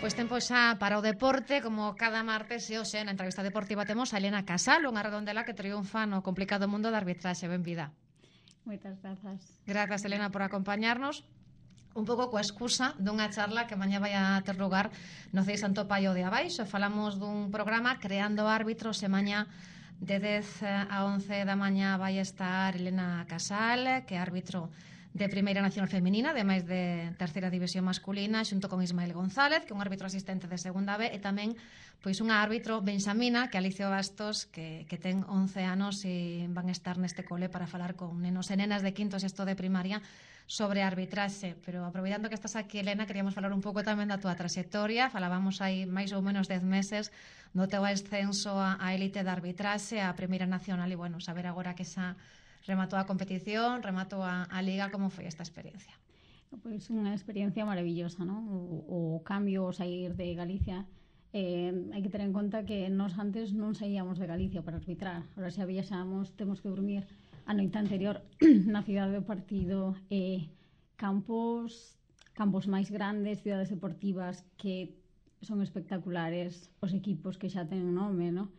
Pois tempo xa para o deporte, como cada martes e hoxe na entrevista deportiva temos a Elena Casal, unha redondela que triunfa no complicado mundo da arbitraxe. Benvida. Moitas grazas. Grazas, Elena, por acompañarnos. Un pouco coa excusa dunha charla que mañá vai a ter lugar no CEI Santo Paio de Abaixo. Falamos dun programa creando árbitros e mañá de 10 a 11 da mañá vai estar Elena Casal, que é árbitro de Primeira Nacional Feminina, de máis de terceira división masculina, xunto con Ismael González, que é un árbitro asistente de segunda B, e tamén pois unha árbitro benxamina, que é Alicia Bastos, que ten 11 anos e van estar neste cole para falar con nenos e nenas de quinto e sexto de primaria sobre arbitraxe. Pero aproveitando que estás aquí, Elena, queríamos falar un pouco tamén da túa trayectoria. Falábamos aí máis ou menos 10 meses do teu ascenso á élite da arbitraxe, á Primeira Nacional, e bueno, saber agora que xa rematou a competición, rematou a Liga, como foi esta experiencia? Pois unha experiencia maravillosa, non? O cambio, o sair de Galicia, hai que ter en conta que nós antes non saíamos de Galicia para arbitrar. Ahora xa viaxamos, temos que dormir a noite anterior na cidade do partido, campos máis grandes, cidades deportivas que son espectaculares, os equipos que xa ten nome, non?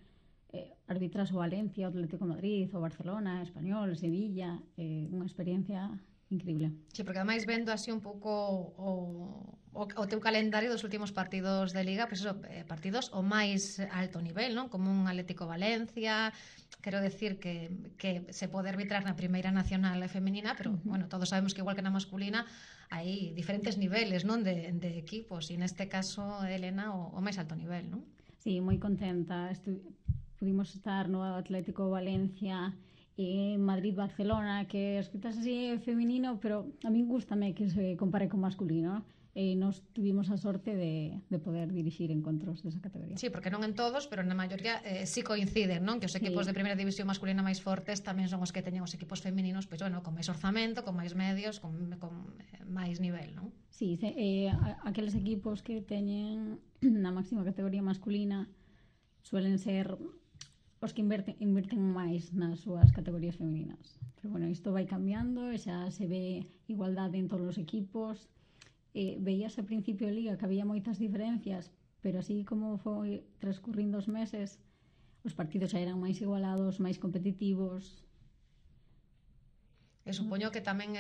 Arbitras o Valencia, o Atlético de Madrid, o Barcelona, Español, Sevilla, unha experiencia increíble. Sí, porque ademais vendo así un pouco o teu calendario dos últimos partidos de Liga, pois eso, partidos o máis alto nivel, non? Como un Atlético Valencia, quero decir que se pode arbitrar na Primeira Nacional feminina, pero, bueno, todos sabemos que igual que na masculina hai diferentes niveles, non? De equipos, e neste caso, Elena, o máis alto nivel, non? Sí, moi contenta. Pudimos estar no Atlético Valencia e Madrid-Barcelona, que escritas así feminino, pero a min gustame que se compare con masculino, e nos tuvimos a sorte de poder dirixir encontros desa categoría. Sí, porque non en todos, pero na maioría sí coinciden, non? Que os equipos de primeira división masculina máis fortes tamén son os que teñen os equipos femininos, pois, bueno, con máis orzamento, con máis medios, con máis nivel, non? Sí, aqueles equipos que teñen na máxima categoría masculina suelen ser os que inverten máis nas súas categorías femininas. Pero, bueno, isto vai cambiando, xa se ve igualdade en todos os equipos. Veíase a principio de Liga que había moitas diferencias, pero así como foi transcurrindo os meses, os partidos xa eran máis igualados, máis competitivos. E supoño que tamén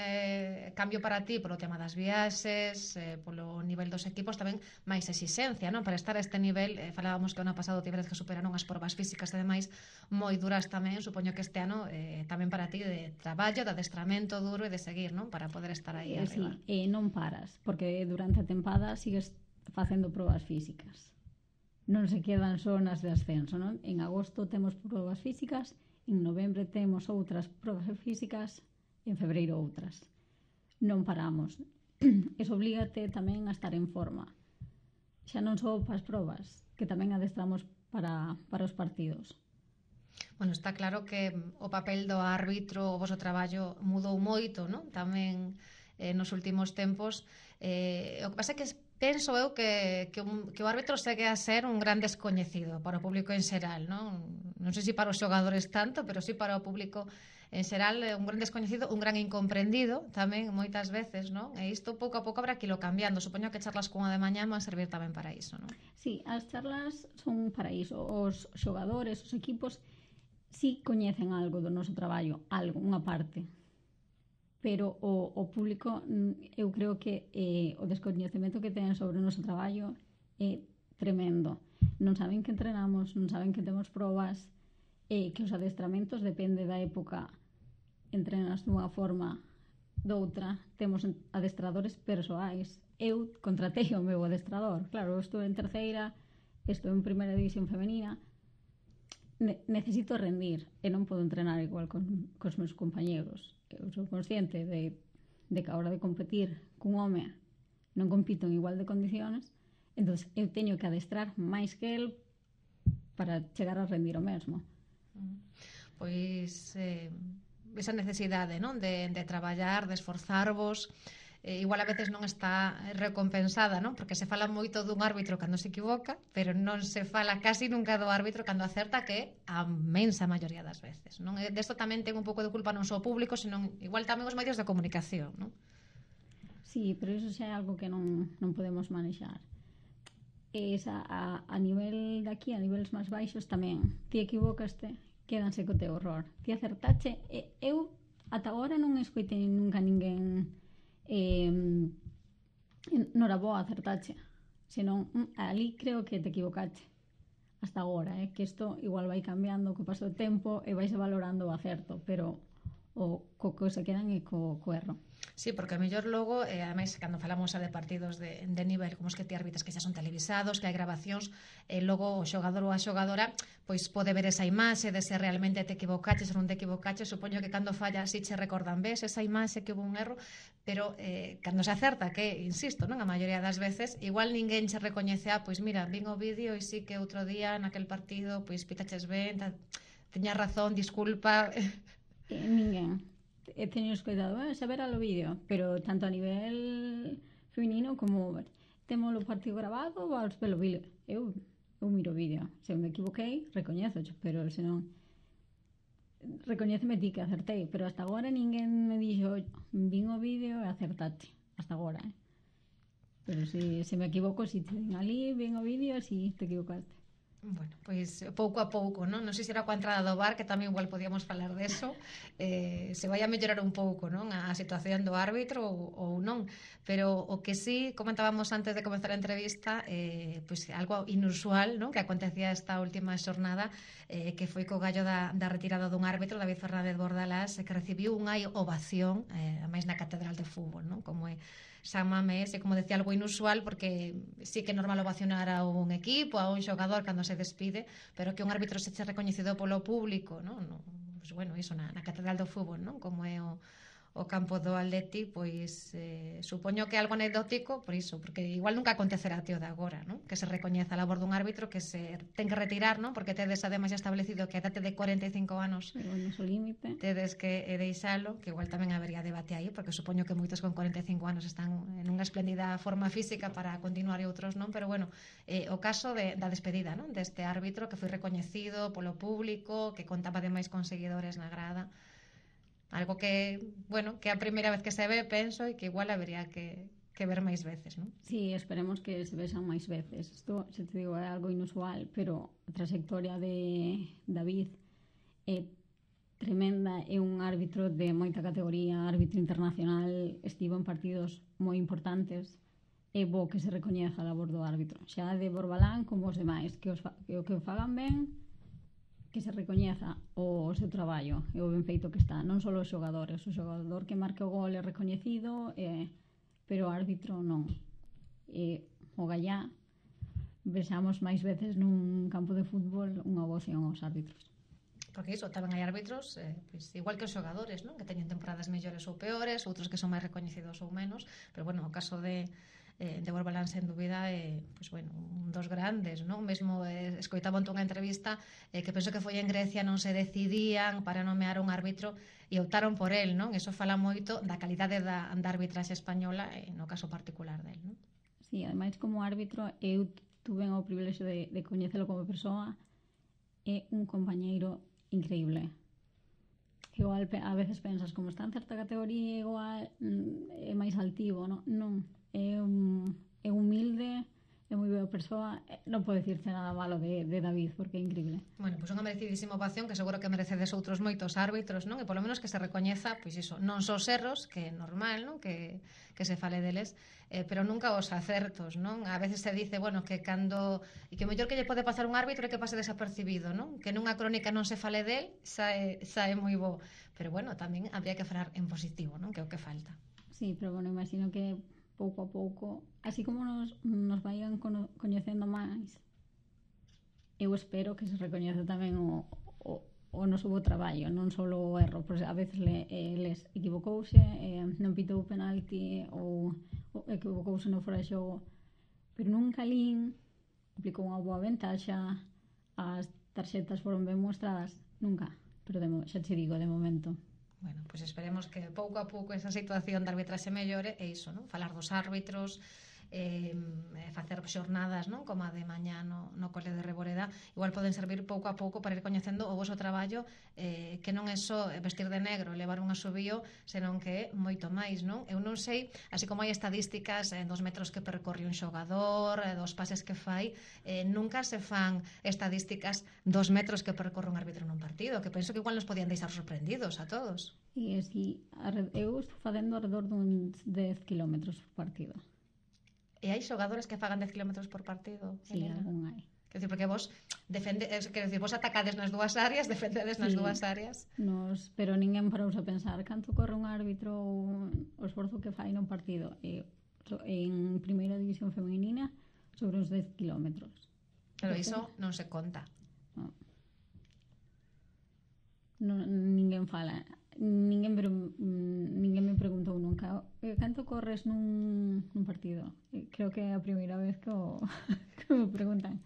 cambio para ti polo tema das viaxes, polo nivel dos equipos, tamén máis exixencia, non? Para estar a este nivel, falábamos que o ano pasado tiveres que superaron as probas físicas e demais moi duras tamén. Supoño que este ano tamén para ti de traballo, de adestramento duro e de seguir, non? Para poder estar aí arriba. Sí, non paras, porque durante a tempada sigues facendo probas físicas. Non se quedan só nas de ascenso, non? En agosto temos probas físicas, en novembro temos outras probas físicas, en febreiro outras. Non paramos. Eso oblígate tamén a estar en forma. Xa non só para as probas, que tamén adestramos para os partidos. Bueno, está claro que o papel do árbitro, o voso traballo mudou moito, non? Tamén nos últimos tempos. O que pasa é que penso eu que o árbitro segue a ser un gran descoñecido para o público en xeral, non? Non sei se para os xogadores tanto, pero sí para o público en xeral, un gran descoñecido, un gran incomprendido tamén moitas veces, non? E isto pouco a pouco habrá que ilo cambiando. Supoño que charlas cunha de mañá van servir tamén para iso, non? Sí, as charlas son para iso. Os xogadores, os equipos sí coñecen algo do noso traballo, algo, unha parte, pero o público, eu creo que o descoñecemento que ten sobre o noso traballo é tremendo. Non saben que entrenamos, non saben que temos probas, que os adestramentos depende da época, entrenas dunha forma, doutra. Temos adestradores persoais. Eu contratei o meu adestrador, claro, estou en terceira, estou en primeira división femenina, necesito rendir e non podo entrenar igual cos meus compañeros. Eu sou consciente de que a hora de competir cun home non compito en igual de condiciones, entón eu teño que adestrar máis que el para chegar a rendir o mesmo. Pois esa necesidade, non? De traballar, de esforzarvos, igual a veces non está recompensada, non? Porque se fala moito dun árbitro cando se equivoca, pero non se fala casi nunca do árbitro cando acerta, que é a mensa maioría das veces, non? Desto tamén ten un pouco de culpa non só o público, senón igual tamén os medios de comunicación, non? Sí, pero iso xa é algo que non podemos manexar. a nivel de aquí, a niveles máis baixos tamén, ti equivocaste, quédanse co teu horror. Ti acertache, eu ata agora non escoitei nunca ninguén noraboa, acertache, senón ali creo que te equivocache hasta agora, que isto igual vai cambiando co paso do tempo e vais valorando o acerto, pero o co se quedan é co erro. Sí, porque a mellor logo, ademais, cando falamos de partidos de nivel como os que ti arbitras que xa son televisados, que hai grabacións, logo o xogador ou a xogadora pois pode ver esa imaxe de se realmente te equivocaches ou non te equivocaches. Supoño que cando falla si che recordan, ves esa imaxe que hubo un erro, pero cando se acerta, que, insisto, non a maioría das veces, igual ninguén che recoñece, pois mira, vin o vídeo e sí que outro día naquel partido pois pitaches ben, teñas razón, disculpa. Ninguén. Teño escoitado, saber ao vídeo, pero tanto a nivel feminino como temos o partido grabado ou aos pelo vídeo. Eu miro o vídeo. Se me equivoquei, recoñezo, pero se non recoñéceme ti que acertei, pero hasta agora ninguén me dixo vin o vídeo e acertaste. Hasta agora, Pero se me equivoco, si te din ali, vin o vídeo, si te equivocaste. Bueno, pois pouco a pouco, non? Non sei se era coa entrada do VAR, que tamén igual podíamos falar deso, se vai a mellorar un pouco, non? A situación do árbitro ou non, pero o que sí comentábamos antes de comenzar a entrevista, pois algo inusual, non? Que acontecía esta última xornada, que foi co gallo da retirada dun árbitro, David Fernández Bordalás, que recibiu unha ovación, a máis na Catedral de Fútbol, non? Como é San Mamés, e como decía, algo inusual, porque sí que é normal ovacionar a un equipo, a un xogador cando se despide, pero que un árbitro se che recoñecido polo público, non? Pues bueno, iso na Catedral do Fútbol, non? Como é o campo do Atleti, pois supoño que é algo anecdótico por iso, porque igual nunca acontecerá tío de agora, non? Que se recoñeza a labor dun árbitro que se ten que retirar, non? Porque tedes ademais establecido que a edade de 45 anos tedes que deixalo, que igual tamén habería debate aí, porque supoño que moitos con 45 anos están en unha espléndida forma física para continuar e outros non, pero bueno, o caso da despedida, non? Deste árbitro que foi recoñecido polo público, que contaba ademais con seguidores na grada. Algo que, bueno, que é a primeira vez que se ve, penso, e que igual habería que ver máis veces, non? Sí, esperemos que se vexan máis veces. Isto, se te digo, é algo inusual, pero a trayectoria de David é tremenda, é un árbitro de moita categoría, árbitro internacional, estivo en partidos moi importantes, é bo que se recoñeza a labor do árbitro. Xa de Borbalán como os demais, que o fagan ben, que se recoñeza o seu traballo e o ben feito que está, non só os xogadores, o xogador que marque o gol é recoñecido, pero o árbitro non. O gallá vexamos máis veces nun campo de fútbol unha ovación aos árbitros. Porque iso, tamén hai árbitros pois, igual que os xogadores, non? Que teñen temporadas mellores ou peores, outros que son máis recoñecidos ou menos, pero bueno, o caso de Borbalán, sen dúbida, pois, bueno, un dos grandes, non? Mesmo escoitaba onte unha entrevista que penso que foi en Grecia, non se decidían para nomear un árbitro e optaron por el, non? Eso fala moito da calidade da arbitraxe española no caso particular del, non? Sí, ademais como árbitro eu tuve o privilexio de coñecelo como persoa, é un compañeiro increíble. Igual a veces pensas como está en certa categoría igual é máis altivo, non, é humilde, é moi boa persoa, non podo dicirte nada malo de David, porque é increíble. Bueno, pois unha merecidísima ovación que seguro que merecedes outros moitos árbitros, non? E polo menos que se recoñeza, pois iso, non só os erros, que é normal, non? Que se fale deles, pero nunca os acertos, non? A veces se dice, bueno, que cando e que o mellor que lle pode pasar un árbitro é que pase desapercibido, non? Que nunha crónica non se fale del, sae moi bo. Pero bueno, tamén habría que falar en positivo, non? Que é o que falta. Sí, pero bueno, imagino que pouco a pouco, así como nos vayan coñecendo máis, eu espero que se recoñece tamén o noso bo traballo, non só o erro, porque a veces les equivocouse, non pitou penalti ou equivocouse no fora de xogo, pero nunca lín, aplicou unha boa ventaxa, as tarxetas foron ben mostradas, nunca, pero xa te digo, de momento. Bueno, pois esperemos que pouco a pouco esa situación de arbitraxe mellore e iso, non? Falar dos árbitros, facer xornadas, non? Como a de mañá no cole de Reboreda, igual poden servir pouco a pouco para ir coñecendo o voso traballo, que non é só vestir de negro, levar un asobío, senón que é moito máis, non? Eu non sei, así como hai estadísticas dos metros que percorre un xogador, dos pases que fai, nunca se fan estadísticas dos metros que percorre un árbitro nun partido, que penso que igual nos podían deixar sorprendidos a todos. E así, eu estou facendo alrededor dun 10 km por partido. E hai xogadores que fagan 10 km por partido? Sí, algún hai. Quer dizer, porque vos vos atacades nas dúas áreas, defendedes nas dúas áreas. Pero ninguén parouse a pensar canto corre un árbitro ou o esforzo que fai nun partido. En primeira división femenina sobre uns 10 km. Pero iso non se conta. Ninguén fala. Ninguén me preguntou nunca canto corres nun partido. Creo que é a primeira vez que me preguntan.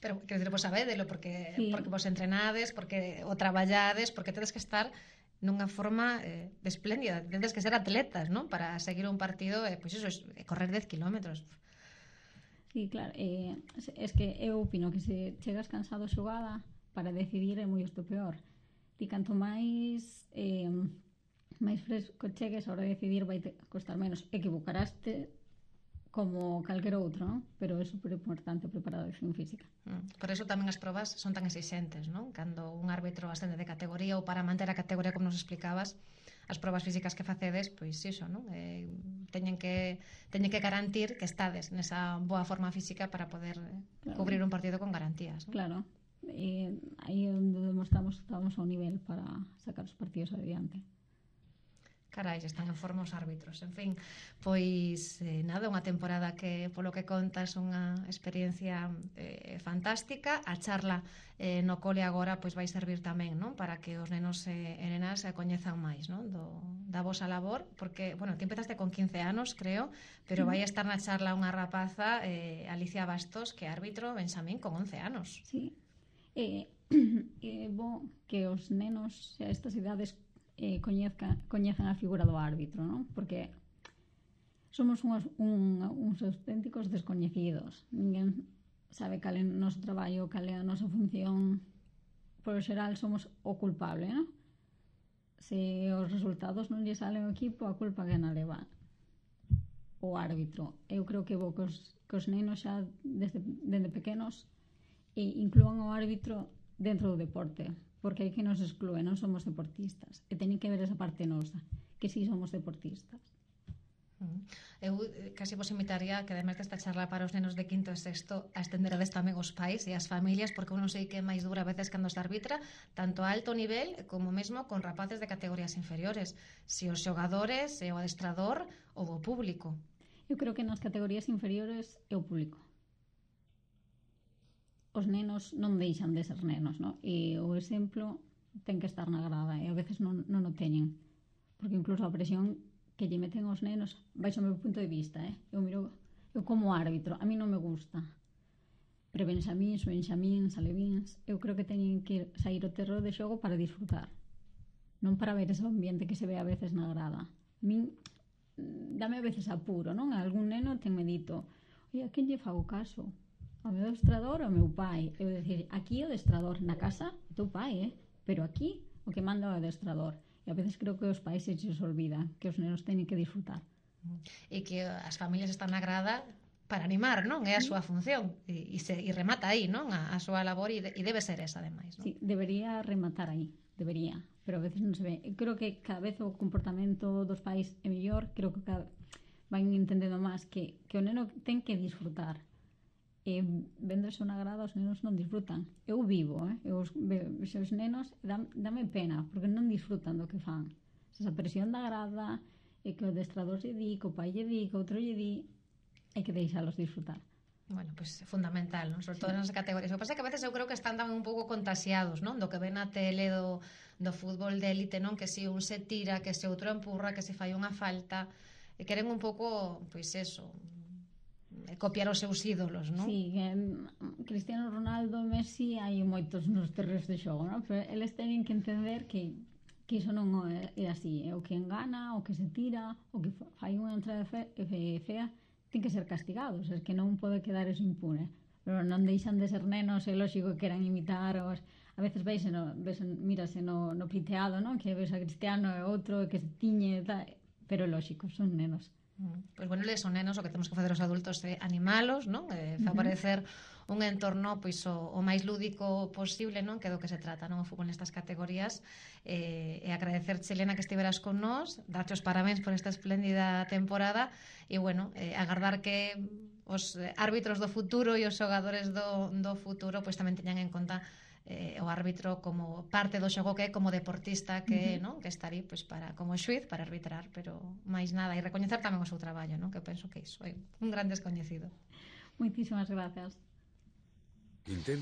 Pero, quero dizer, vos sabédelo porque vos entrenades, porque o traballades, porque tedes que estar nunha forma espléndida, tedes que ser atletas, non? Para seguir un partido, pois iso, correr 10 kilómetros. Sí, claro, es que eu opino que se chegas cansado xogada, para decidir é moi isto peor. Ti canto máis fresco chegues, a hora de decidir vai costar menos. Equivocaraste como calquer outro, non? Pero é super importante a preparación física. Por eso tamén as probas son tan exixentes, non? Cando un árbitro ascende de categoría ou para manter a categoría, como nos explicabas, as probas físicas que facedes, pois iso, non? Teñen que garantir que estades nesa boa forma física para poder cubrir un partido con garantías, non? Claro. Aí é onde demostramos que estamos ao nivel para sacar os partidos adiante. Carai, están en forma os árbitros. En fin, pois nada, unha temporada que, polo que contas, unha experiencia fantástica. A charla no cole agora pois vai servir tamén, non? Para que os nenos e nenas se coñezan máis, non? Da vosa labor, porque, bueno, ti empezaste con 15 anos, creo, pero vai estar na charla unha rapaza, Alicia Bastos, que é árbitro Benxamín con 11 anos. Sí. É bo que os nenos a estas idades coñezan a figura do árbitro, non? Porque somos uns auténticos descoñecidos. Ninguén sabe cal é o noso traballo, cal é a nosa función. Por xeral somos o culpable, non? Se os resultados non lle salen ao equipo, a culpa que na leva o árbitro. Eu creo que bo que os nenos xa desde pequenos inclúan o árbitro dentro do deporte, porque hai que nos exclúe, non somos deportistas, e teñen que ver esa parte nosa, que si somos deportistas. Eu casi vos invitaría que, además desta charla para os nenos de quinto e sexto, a estenderades tamén os pais e as familias, porque eu non sei que é máis dura a veces cando se arbitra, tanto a alto nivel como mesmo con rapaces de categorías inferiores, se os xogadores, se o adestrador ou o público. Eu creo que nas categorías inferiores é o público. Os nenos non deixan de ser nenos, non? E o exemplo ten que estar na grada e a veces non o teñen, porque incluso a presión que lle meten aos nenos, baixo o meu punto de vista, eu como árbitro, a mí non me gusta, pero Benxamíns, Alevíns, eu creo que teñen que sair o terreo de xogo para disfrutar, non para ver ese ambiente que se ve a veces na grada. A min dame a veces apuro, non? Algún neno ten medito, oi, a quen lle fago caso? Ao meu adestrador ou ao meu pai? Eu decir, aquí o adestrador, na casa o teu pai, pero aquí o que manda o adestrador. E a veces creo que os pais se olvida que os nenos teñen que disfrutar. E que as familias están na grada para animar, non? É a súa función e remata aí, non? A súa labor e debe ser esa, ademais, non? Sí, debería rematar aí, debería, pero a veces non se ve. Eu creo que cada vez o comportamento dos pais é mellor, creo que van entendendo máis que o neno ten que disfrutar. E vendo eso na grada, os nenos non disfrutan. Eu vivo, os nenos dame pena, porque non disfrutan do que fan. Esa presión da grada, e que o adestrador lle di, que o pai lle di, que outro lle di, hai que deixalos disfrutar. Bueno, pois é fundamental, non? Sobre todo nas categorías. O que pasa é que a veces eu creo que están tamén un pouco contaxiados, non? Do que ven na tele do fútbol de élite, non? Que se un se tira, que se outro empurra, que se fai unha falta, e queren un pouco, pois eso, copiar os seus ídolos, non? Sí, Cristiano Ronaldo, Messi, hai moitos nos terreos de xogo, non? Pero eles teñen que entender que iso non é así, é o que engana, o que se tira, o que fai unha entrada fea, ten que ser castigados, es que non pode quedar eso impune. Pero non deixan de ser nenos, é lógico que queran imitar os... A veces mírase no piteado, non? Que ves a Cristiano e outro que se tiñe, tal, pero lógico, son nenos. Pois bueno, eles son nenos, o que temos que facer os adultos é animalos, non? Favorecer un entorno pois o máis lúdico posible, non? Que é do que se trata, non? O fútbol nestas categorías, e agradecer, Helena, que estiveras con nós, darte os parabéns por esta espléndida temporada e bueno, agardar que os árbitros do futuro e os xogadores do futuro pois tamén teñan en conta o árbitro como parte do xogo que é, como deportista que, non? Que está ali pois para, como xuiz para arbitrar, pero máis nada, e recoñecer tamén o seu traballo, non? Que penso que iso é un gran descoñecido. Moitísimas grazas.